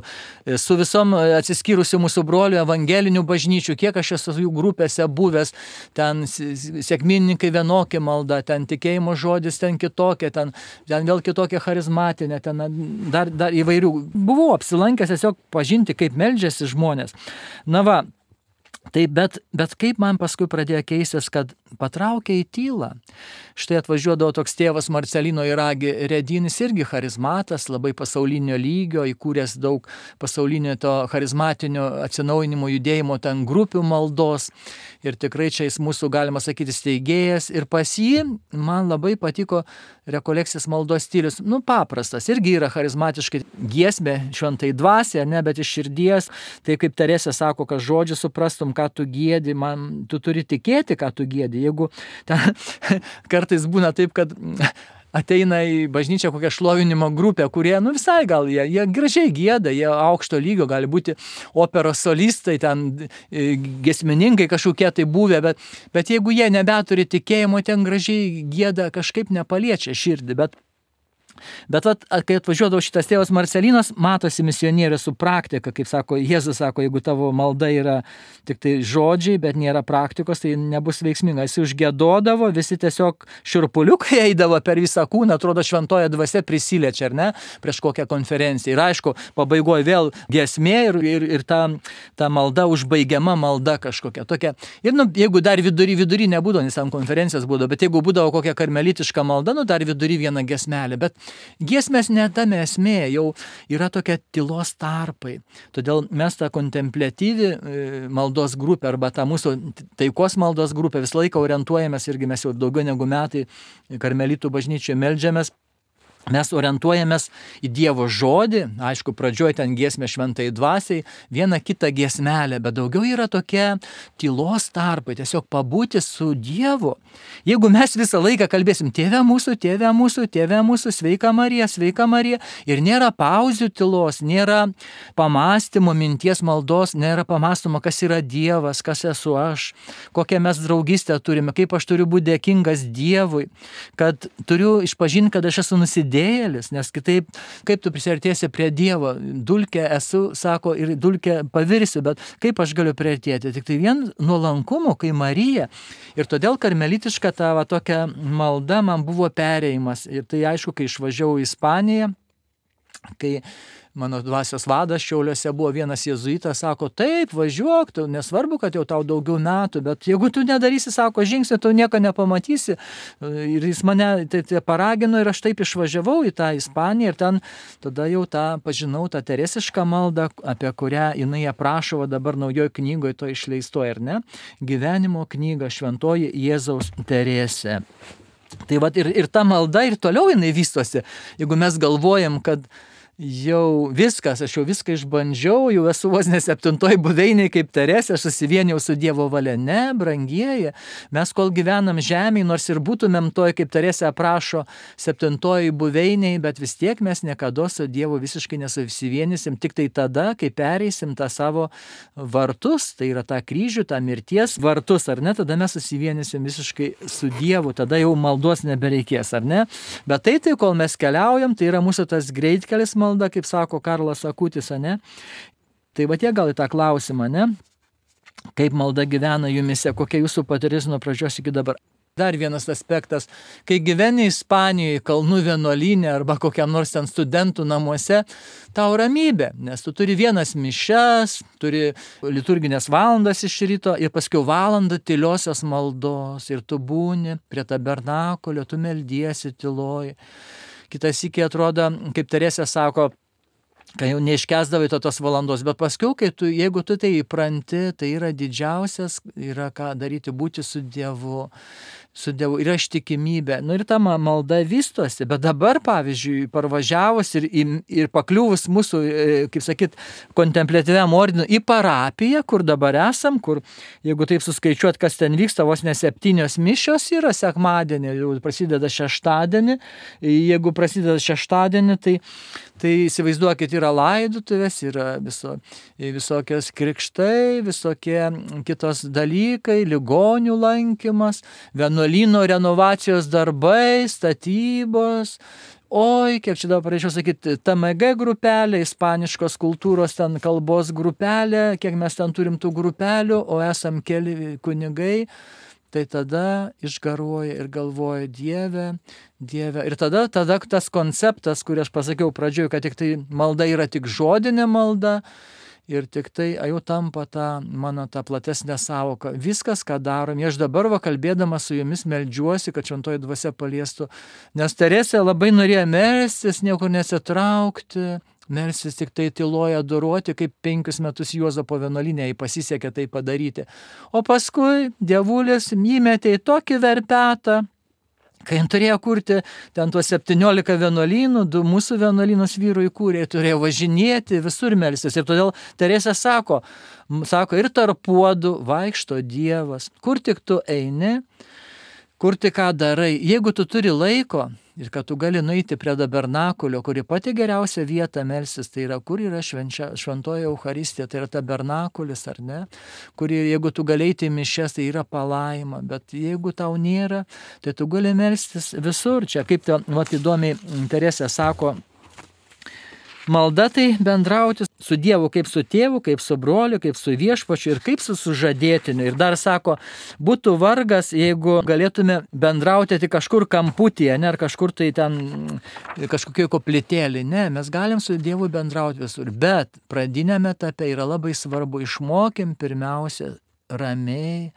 su visom atsiskyrusių mūsų brolių evangelinių bažnyčių, kiek aš esu jų grupėse buvęs, ten sekminininkai vienokia malda, ten tikėjimo žodis, ten kitokia, ten, ten vėl kitokia charizmatinė, ten dar, dar įvairių. Buvau apsilankęs tiesiog pažinti, kaip meldžiasi žmonės. Na va, tai bet, bet kaip man paskui pradėjo keistis, kad patraukė į tylą. Štai atvažiuodavo toks tėvas Marcelino Iragi Redinis, irgi charizmatas, labai pasaulinio lygio, įkūręs daug pasaulinio to charizmatinio atsinaujinimo judėjimo ten grupių maldos. Ir tikrai čia jis mūsų, galima sakyti, steigėjas. Ir pas jį man labai patiko rekolekcijos maldos stilius. Nu, paprastas, irgi yra charizmatiškai giesmė šventai dvasia, ne, bet iš širdies. Tai kaip Teresė sako, kad žodžiu suprastum, ką tu giedi, man, tu turi tikėti, ką tu giedi. Jeigu ten, kartais būna taip, kad ateina į bažnyčią kokią šlovinimo grupę, kurie, nu visai gal, jie, jie gražiai gieda, jie aukšto lygio, gali būti operos solistai, ten giesmininkai kažkokie tai buvę, bet, bet jeigu jie nebeturi tikėjimo, ten gražiai gieda, kažkaip nepaliečia širdį, bet Bet vat, kai atvažiuodavo šitas tėvas Marcelinas, matosi misionierius su praktika, kaip sako, Jėzus sako, jeigu tavo malda yra tik tai žodžiai, bet nėra praktikos, tai nebus veiksminga. Jis užgiedodavo, visi tiesiog šiurpuliukai eidavo per visą kūną, atrodo šventoje dvasia prisiliečia, ar ne, prieš kokią konferenciją. Ir aišku, pabaigoje vėl giesmė ir, ir, ir ta, ta malda, užbaigiama malda kažkokia tokia. Ir nu, jeigu dar vidury, vidury nebūdavo, nes ant konferencijos būdavo, bet jeigu būdavo kokia karmelitiška malda, nu dar vidury vieną giesmelę, bet giesmės netame esmė, jau yra tokia tylos tarpai. Todėl mes tą kontempliatyvį maldos grupę arba tą mūsų taikos maldos grupę visą laiką orientuojamės, irgi mes jau daugiau negu metai karmelitų bažnyčioje meldžiamės. mes orientuojamės į Dievo žodį, aišku, pradžioje ten giesmė šventai dvasiai, vieną kitą giesmelę, bet daugiau yra tokia tylos tarpai, tiesiog pabūti su Dievu. Jeigu mes visą laiką kalbėsim, tėve mūsų, tėve mūsų, tėve mūsų, sveika Marija, sveika Marija, ir nėra pauzių tylos, nėra pamąstymo, minties maldos, nėra pamąstymo, kas yra Dievas, kas esu aš, kokią mes draugystę turime, kaip aš turiu būti dėkingas Dievui, kad turiu išpažinti, kad aš esu nusidėjęs, nes kitaip, kaip tu prisiartėsi prie Dievo, dulkė esu, sako, ir dulkė pavirsiu, bet kaip aš galiu priartėti? Tik tai vien nuolankumu, kai Marija. Ir todėl karmelitiška ta va, tokia malda man buvo perėjimas. Ir tai aišku, kai išvažiavau į Ispaniją, kai mano dvasios vadas Šiauliuose buvo vienas jėzuitas, sako, taip, važiuok, tu, nesvarbu, kad jau tau daugiau metų, bet jeigu tu nedarysi, sako, žingsnį, tu nieko nepamatysi. Ir jis mane tai, tai paragino ir aš taip išvažiavau į tą Ispaniją ir ten tada jau tą pažinau, tą teresišką maldą, apie kurią jinai aprašo dabar naujoje knygoje, to išleistoje, ar ne? Gyvenimo knyga Šventoji Jėzaus Teresė. Tai va ir, ir ta malda ir toliau jinai vystosi. Jeigu mes galvojam, kad jau viskas, aš jau viską išbandžiau, jau esu vos ne septintoj buveinėj kaip Teresė, aš susivienijau su Dievo valia. Ne, brangieji, mes kol gyvenam žemėj, nors ir būtumėm toj, kaip Teresė aprašo, septintoj buveinėj, bet vis tiek mes niekada su Dievu visiškai nesusivienysim, tik tai tada, kai pereisim tą savo vartus, tai yra tą kryžių, tą mirties vartus, ar ne, tada mes susivienysim visiškai su Dievu, tada jau maldos nebereikės, ar ne? Bet tai, tai kol mes keliaujam, tai yra mūsų tas greitkelis malda, malda, kaip sako Karlas Akutis, ne? Tai va tie gal į tą klausimą, ne? Kaip malda gyvena jumise, kokia jūsų patirtis nuo pradžios iki dabar. Dar vienas aspektas, kai gyveni Ispanijoje, kalnų vienuolyne arba kokiam nors ten studentų namuose, tau ramybė, nes tu turi vienas mišias, turi liturginės valandas iš ryto ir paskui valandą tyliosios maldos ir tu būni prie tabernakulio, tu meldiesi tyloj. Kitas iki atrodo, kaip Teresė sako, kai jau neiškesdavai to tos valandos, bet paskui, kai tu, jeigu tu tai įpranti, tai yra didžiausias, yra ką daryti, būti su Dievu, su Dievu, yra ištikimybė. Nu ir ta malda vystosi, bet dabar, pavyzdžiui, parvažiavus ir, ir pakliuvus mūsų, kaip sakyt, kontempliatyviam ordinui į parapiją, kur dabar esam, kur, jeigu taip suskaičiuot, kas ten vyksta, vos ne septynios mišios yra sekmadienį, jau prasideda šeštadienį, jeigu prasideda šeštadienį, tai Tai įsivaizduokit, yra laidotuvės, yra viso, visokios krikštai, visokie kitos dalykai, ligonių lankymas, vienuolyno renovacijos darbai, statybos. Oi, kiek čia dabar pareičiau sakyti, T M G grupelė, ispaniškos kultūros ten kalbos grupelė, kiek mes ten turim tų grupelių, o esam keli kunigai. Tai tada išgaruoja ir galvoja Dieve, Dieve. Ir tada, tada tas konceptas, kurį aš pasakiau pradžioje, kad tik tai malda yra tik žodinė malda ir tik tai jau tampa ta mano ta platesnė sąvoka. Viskas, ką darom, aš dabar va kalbėdama su jumis meldžiuosi, kad šventoji dvasia paliestų, nes Teresė labai norėjo melstis, niekur nesitraukti, melsis tik tai tyloje adoruoti, kaip penkius metus Juozapo vienuolyne jai pasisekė tai padaryti. O paskui dievulis įmetė į tokį verpetą, kai turėjo kurti ten tuos septyniolika vienuolynų, du mūsų vienuolynus vyrų įkūrė, turėjo važinėti, visur melstis. Ir todėl Teresė sako, sako, ir tarp puodų vaikšto Dievas, kur tik tu eini, kur tik ką darai. Jeigu tu turi laiko ir kad tu gali nueiti prie tabernakulio, kuri pati geriausia vieta melstis, tai yra, kur yra švenčia, šventoji Eucharistija, tai yra tabernakulis, ar ne? Kur jeigu tu gali eiti į mišias, tai yra palaima, bet jeigu tau nėra, tai tu gali melstis visur. Čia kaip ta, vat, įdomiai Teresė sako, malda tai bendrauti su Dievu kaip su tėvu, kaip su broliu, kaip su viešpačiu ir kaip su sužadėtiniu. Ir dar sako, būtų vargas, jeigu galėtume bendrauti tik kažkur kamputyje, ne, ar kažkur tai ten kažkokioj koplytėlį. Ne, mes galim su Dievu bendrauti visur, bet pradinėme etape yra labai svarbu, išmokim pirmiausia ramiai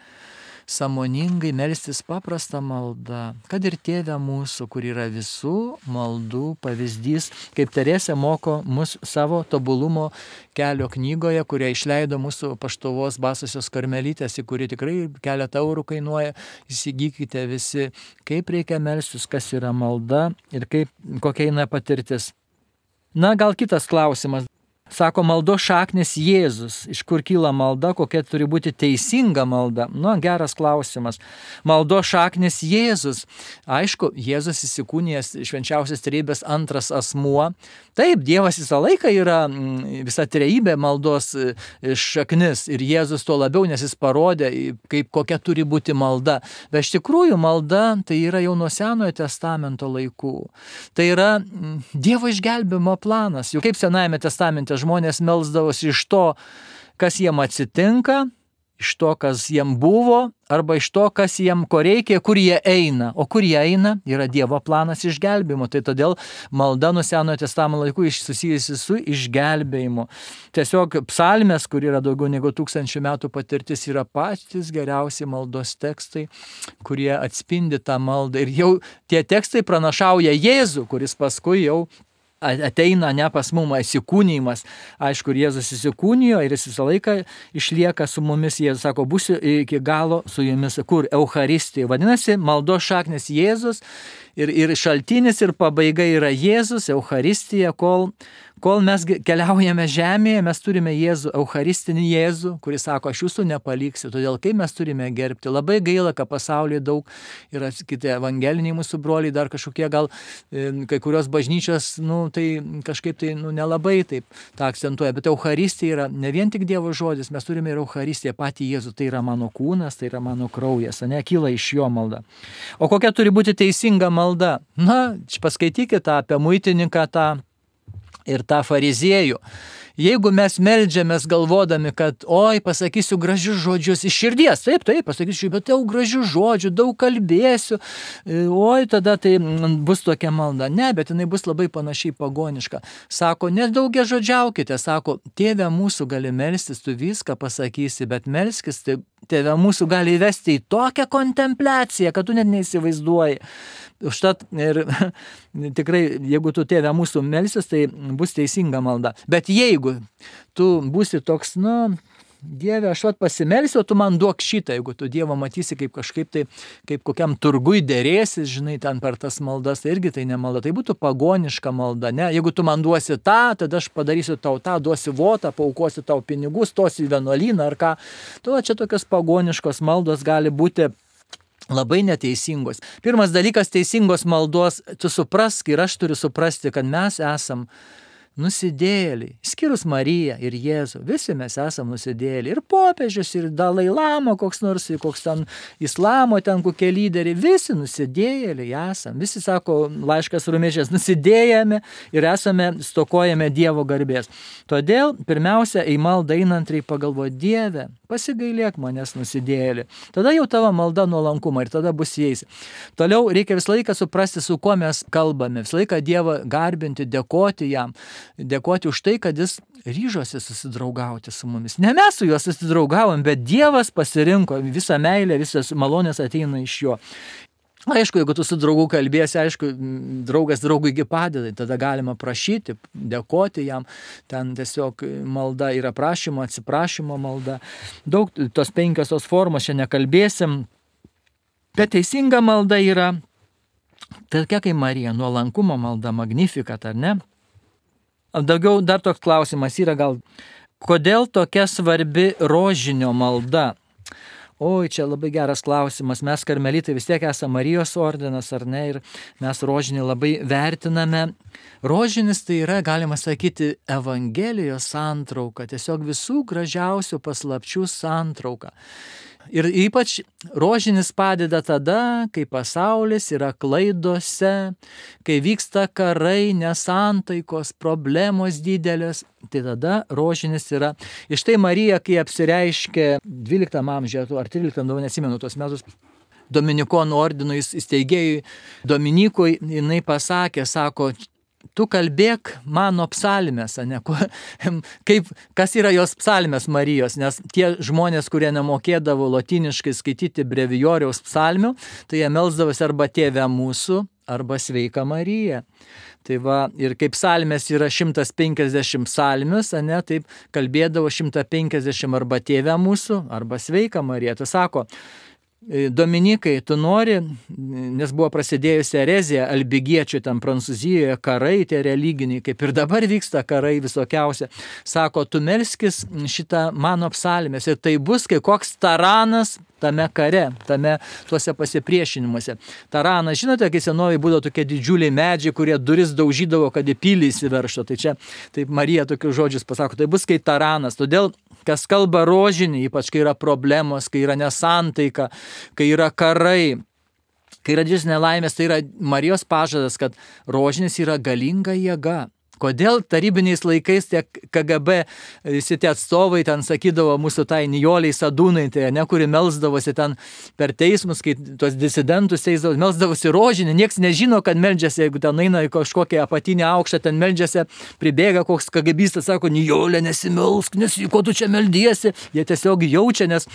sąmoningai melstis paprastą maldą, kad ir Tėve mūsų, kur yra visų maldų pavyzdys, kaip Teresė moko mus savo tobulumo kelio knygoje, kurią išleido mūsų Paštuvos Basosios karmelytės, į kurį tikrai keletą eurų kainuoja, įsigykite visi, kaip reikia melstis, kas yra malda ir kaip, kokia eina patirtis. Na, gal kitas klausimas. Sako, maldos šaknis Jėzus. Iš kur kyla malda, kokia turi būti teisinga malda? Nu, geras klausimas. Maldos šaknis Jėzus. Aišku, Jėzus įsikūnijęs švenčiausios trejybės antras asmuo. Taip, Dievas visą laiką yra visa trejybė maldos šaknis. Ir Jėzus tuo labiau, nes jis parodė, kaip, kokia turi būti malda. Bet iš tikrųjų malda tai yra jau nuo Senojo testamento laikų. Tai yra Dievo išgelbėjimo planas. Juk kaip Senajame testamente žmonės melsdavosi iš to, kas jiem atsitinka, iš to, kas jiem buvo, arba iš to, kas jiem ko reikia, kur jie eina. O kur jie eina, yra Dievo planas išgelbėjimo. Tai todėl malda nuo Senojo testamento laikų susijusi su išgelbėjimu. Tiesiog psalmės, kur yra daugiau negu tūkstančių metų patirtis, yra patys geriausi maldos tekstai, kurie atspindi tą maldą. Ir jau tie tekstai pranašauja Jėzų, kuris paskui jau ateina ne pas mumą įsikūnymas. Aišku, Jėzus įsikūnijo ir jis visą laiką išlieka su mumis. Jėzus sako, būsiu iki galo su jumis. Kur? Eucharistija. Vadinasi, maldos šaknis Jėzus ir, ir šaltinis ir pabaiga yra Jėzus, Eucharistija, kol, kol mes keliaujame žemėje, mes turime Jėzų, Eucharistinį Jėzų, kuris sako, aš jūsų nepaliksiu. Todėl kaip mes turime gerbti. Labai gaila, kad pasaulyje daug yra kiti evangeliniai mūsų broliai, dar kažkokie gal kai kurios bažnyčios, nu, tai kažkaip tai nu, nelabai taip tą akcentuoja. Bet Eucharistija yra ne vien tik Dievo žodis, mes turime ir Eucharistiją, patį Jėzų. Tai yra mano kūnas, tai yra mano kraujas, ne, kyla iš jo malda. O kokia turi būti teisinga malda? Na, paskaitykite apie muitininką tą ir tą fariziejų. Jeigu mes meldžiamės galvodami, kad oi, pasakysiu gražius žodžius iš širdies, taip, taip, pasakysiu, bet daug gražių žodžių, daug kalbėsiu, oi, tada tai bus tokia malda. Ne, bet jinai bus labai panašiai pagoniška. Sako, nedaugia žodžiaukite, sako, Tėve mūsų gali melstis, tu viską pasakysi, bet melskis, tai Tėve mūsų gali įvesti į tokią kontempliaciją, kad tu net neįsivaizduoji. Užtat ir tikrai, jeigu tu Tėve mūsų melsis, tai bus teisinga malda. Bet jeigu tu būsi toks, nu, Dieve, aš vat pasimelsiu, o tu man duok šitą, jeigu tu Dievą matysi kaip kažkaip tai, kaip kokiam turgui dėrėsis, žinai, ten per tas maldas, tai irgi tai ne malda, tai būtų pagoniška malda, ne? Jeigu tu man duosi tą, tada aš padarysiu tau tą, duosi votą, paukosiu tau pinigus, stosi į vienuolyną ar ką. Tu čia tokios pagoniškos maldos gali būti labai neteisingos. Pirmas dalykas teisingos maldos, tu suprask ir aš turiu suprasti, kad mes esam nusidėjėliai, skyrus Mariją ir Jėzų, visi mes esam nusidėjėliai, ir popiežius, ir Dalai Lama, koks nors, koks ten islamo, ten kokie lyderiai, visi nusidėjėliai esam, visi sako laiškas Romiečiams, nusidėjame ir esame, stokojame Dievo garbės. Todėl, pirmiausia, į maldą einant reikia pagalvoti, Dieve, pasigailėk manęs nusidėjėlį. Tada jau tavo malda nuolankumą ir tada bus jais. Toliau reikia visą laiką suprasti, su kuo mes kalbame, visą laiką Dievą garbinti, dėkoti jam. Dėkoti už tai, kad jis ryžosi susidraugauti su mumis. Ne mes su juo susidraugavom, bet Dievas pasirinko, visą meilę, visas malonės ateina iš jo. Aišku, jeigu tu su draugu kalbėsi, aišku, draugas draugui padeda, tada galima prašyti, dėkoti jam. Ten tiesiog malda yra prašymo, atsiprašymo malda. Daug tos penkios tos formos čia nekalbėsim. Bet teisinga malda yra tokia kaip Marija, nuolankumo malda, magnificat, ar ne? Daugiau dar toks klausimas yra gal, kodėl tokia svarbi rožinio malda? Oi, čia labai geras klausimas. Mes karmelitai vis tiek esame Marijos ordinas, ar ne? Ir mes rožinį labai vertiname. Rožinis tai yra, galima sakyti, Evangelijos santrauka, tiesiog visų gražiausių paslapčių santrauka. Ir ypač rožinis padeda tada, kai pasaulis yra klaidose, kai vyksta karai, nesantaikos, problemos didelės. Tai tada rožinis yra. Iš tai Marija, kai apsireiškė dvyliktam amžiuje ar tryliktam, neatsimenu tuos metus, Dominikonų ordinų įsteigėjui Dominikui, jinai pasakė, sako, tu kalbėk mano psalmes, ne, kaip, kas yra jos psalmes Marijos, nes tie žmonės, kurie nemokėdavo lotyniškai skaityti brevijoriaus psalmių, tai jie melsdavosi arba Tėve mūsų, arba Sveika Marija. Tai va, ir kaip psalmės yra šimtas penkiasdešimt psalmius, ne, taip kalbėdavo šimtas penkiasdešimt arba Tėve mūsų, arba Sveika Marija. Tai sako, Dominikai, tu nori, nes buvo prasidėjusi erezija, albigiečių ten Prancūzijoje, karai, tie religiniai, kaip ir dabar vyksta karai visokiausia. Sako, tu melskis šitą mano psalmės ir tai bus kai koks taranas tame kare, tame tuose pasipriešinimuose. Taranas, žinote, kai senovai būdavo tokie didžiuliai medžiai, kurie duris daužydavo, kad į pilį įsiverštų. Tai čia, taip Marija tokius žodžius pasako, tai bus kaip taranas. Todėl, kas kalba rožinį, ypač kai yra problemos, kai yra nesantaika, kai yra karai, kai yra didžiulės nelaimės, tai yra Marijos pažadas, kad rožinis yra galinga jėga. Kodėl tarybiniais laikais tie K G B visi tie atstovai ten sakydavo mūsų tai Nijoliai Sadūnaitė, ne, kuri melsdavosi ten per teismus, kai tuos disidentus teisdavo, melsdavosi rožinį, nieks nežino, kad meldžiasi, jeigu ten eina į kažkokią apatinę aukštą, ten meldžiasi, pribėga koks KGBistas, sako, Nijolė, nesimelsk, nes ko tu čia meldiesi, jie tiesiog jaučia, nes,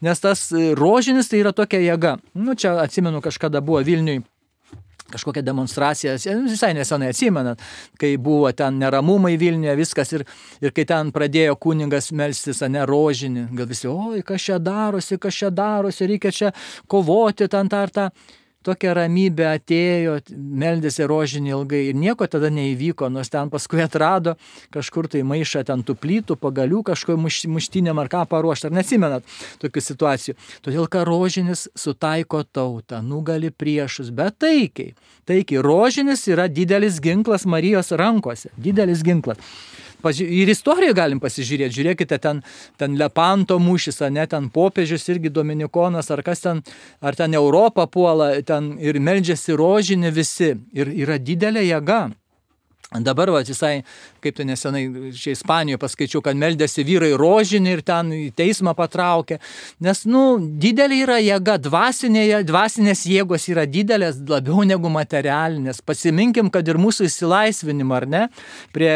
nes tas rožinis tai yra tokia jėga. Nu, čia atsimenu, kažkada buvo Vilniui kažkokia demonstracija, visai nesenai atsimenat, kai buvo ten neramumai Vilniuje, viskas ir, ir kai ten pradėjo kunigas melstis, ne, rožinį, gal visi, oi, kas čia darosi, kas čia darosi, reikia čia kovoti, ten tą ar tą. Tokia ramybė atėjo, meldėsi rožinį ilgai ir nieko tada neįvyko, nors ten paskui atrado kažkur tai maišą ten tų plytų, pagalių, kažko muštinėm ar ką paruošti, ar neatsimenat tokių situacijų. Todėl, kad rožinis sutaiko tautą, nugali priešus, bet taikiai. Taikiai, rožinis yra didelis ginklas Marijos rankose, didelis ginklas. Ir istoriją galim pasižiūrėti, žiūrėkite, ten, ten Lepanto mūšis, ne, ten popiežius irgi Dominikonas, ar kas ten, ar ten Europą puola, ten ir meldžiasi rožinį visi, ir yra didelė jėga. Dabar, va, visai, kaip tai nesenai, čia Ispanijoje paskaičiau, kad meldėsi vyrai rožinį ir ten į teismą patraukė, nes, nu, didelė yra jėga, dvasinė, dvasinės jėgos yra didelės, labiau negu materialinės. Pasiminkim, kad ir mūsų įsilaisvinimą, ar ne, prie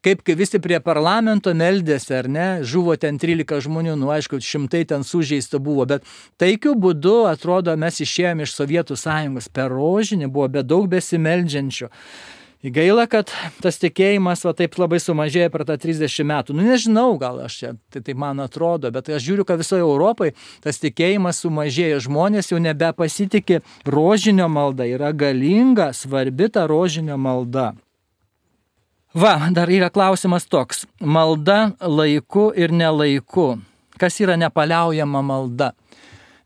kaip visi prie parlamento meldėsi, ar ne, žuvo ten trylika žmonių, nu aišku, šimtai ten sužeista buvo, bet taikiu būdu, atrodo, mes išėjome iš Sovietų Sąjungos, per rožinį buvo be daug besimeldžiančių. Gaila, kad tas tikėjimas va, taip labai sumažėjo per tą trisdešimt metų. Nu nežinau, gal aš čia, tai, tai man atrodo, bet aš žiūriu, kad visoje Europoje tas tikėjimas sumažėjo. Žmonės jau nebepasitikė rožinio malda, yra galinga, svarbi ta rožinio malda. Va, dar yra klausimas toks. Malda laiku ir nelaiku. Kas yra nepaliaujama malda?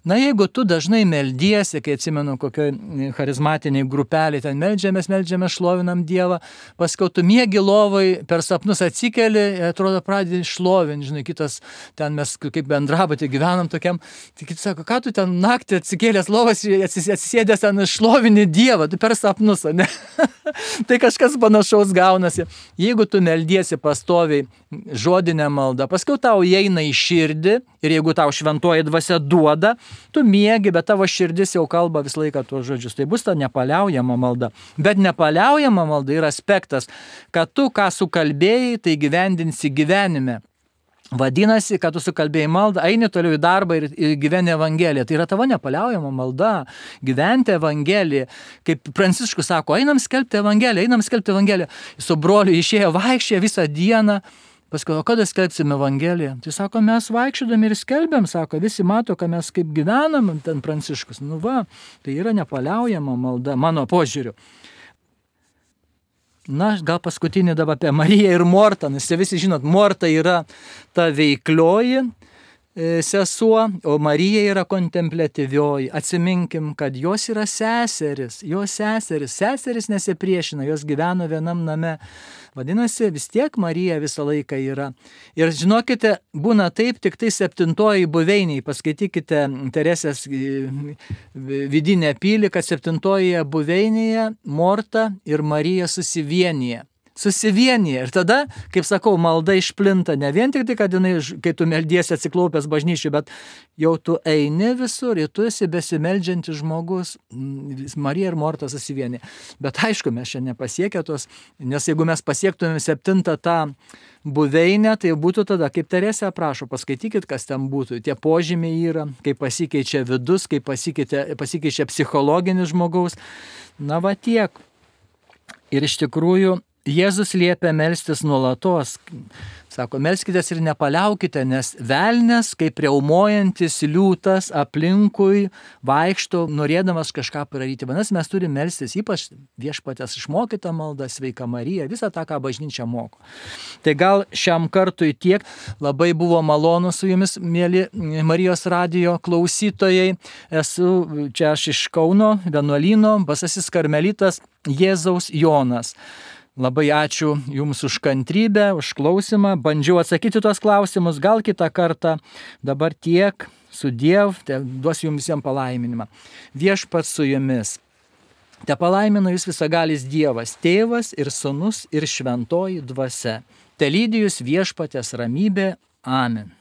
Na, jeigu tu dažnai meldiesi, kai atsimenu kokioj charizmatiniai grupeliai, ten meldžiamės, meldžiamės, šlovinam Dievą, paskui tu miegi lovai, per sapnus atsikeli, atrodo, pradedi šlovinti, žinai, kitas, ten mes kaip bendrabutį gyvenam tokiam, tai kitas sako, ką tu ten naktį atsikėlęs lovas, atsisėdęs ten šlovini Dievą, tu per sapnus, ne? Tai kažkas panašaus gaunasi. Jeigu tu meldiesi pastoviai žodinę maldą, paskui tau įeina į širdį ir jeigu tau šventoji dvasia duoda, tu miegi, bet tavo širdis jau kalba visą laiką tuos žodžius. Tai bus ta nepaliaujama malda. Bet nepaliaujama malda yra aspektas, kad tu ką sukalbėjai, tai gyvendinsi gyvenime. Vadinasi, kad tu sukalbėjai maldą, eini toliau į darbą ir, ir gyveni Evangeliją. Tai yra tavo nepaliaujama malda. Gyventi Evangeliją. Kaip Pranciškus sako, einam skelbti Evangeliją, einam skelbti Evangeliją. Su broliu išėjo vaikščia visą dieną. Paskui, o kada skelbsim Evangeliją? Tai sako, mes vaikščiodami ir skelbiam, sako, visi mato, kad mes kaip gyvenam, ten Pranciškus. Nu va, tai yra nepaliaujama malda, mano požiūriu. Na, gal paskutinį dabar apie Mariją ir Mortą, nes visi žinot, Morta yra ta veiklioji sesuo, o Marija yra kontempliatyvioji. Atsiminkim, kad jos yra seseris, jos seseris, seseris nesipriešina, jos gyveno vienam name. Vadinasi, vis tiek Marija visą laiką yra. Ir žinokite, būna taip, tik tai septintoji buveiniai, paskaitykite Teresės vidinę pilį, kad septintoje buveinėje Morta ir Marija susivienyje. susivienyje. Ir tada, kaip sakau, malda išplinta ne vien tik tai, kad jinai, kai tu meldiesi atsiklaupęs bažnyčiai, bet jau tu eini visur ir tu esi besimeldžiantis žmogus. Marija ir Morta susivienyje. Bet aišku, mes čia nepasiekę tos, nes jeigu mes pasiektume septintą tą buveinę, tai būtų tada, kaip Teresė aprašo, paskaitykit, kas ten būtų. Tie požymiai yra, kaip pasikeičia vidus, kaip pasikeičia, pasikeičia psichologinis žmogaus. Na va tiek. Ir iš tikrųjų, Jėzus liepia melstis nuolatos. Sako, melskitės ir nepaliaukite, nes velnias, kaip riaumojantis liūtas aplinkui vaikšto, norėdamas kažką padaryti. Vadinasi, mes turime melstis, ypač Viešpaties išmokytą maldą, Sveika Marija, visą tą, ką bažnyčia moko. Tai gal šiam kartui tiek. Labai buvo malonu su jumis, mėly Marijos radijo klausytojai. Esu čia aš iš Kauno vienuolyno, Basasis karmelitas Jėzaus Jonas. Labai ačiū Jums už kantrybę, už klausimą. Bandžiau atsakyti tuos klausimus, gal kitą kartą. Dabar tiek, sudiev, te duosiu Jums visiems palaiminimą. Viešpats su Jumis. Te palaimina Jūs visagalis Dievas, Tėvas ir Sūnus ir Šventoji Dvasia. Te lydi Jūs Viešpaties ramybė. Amen.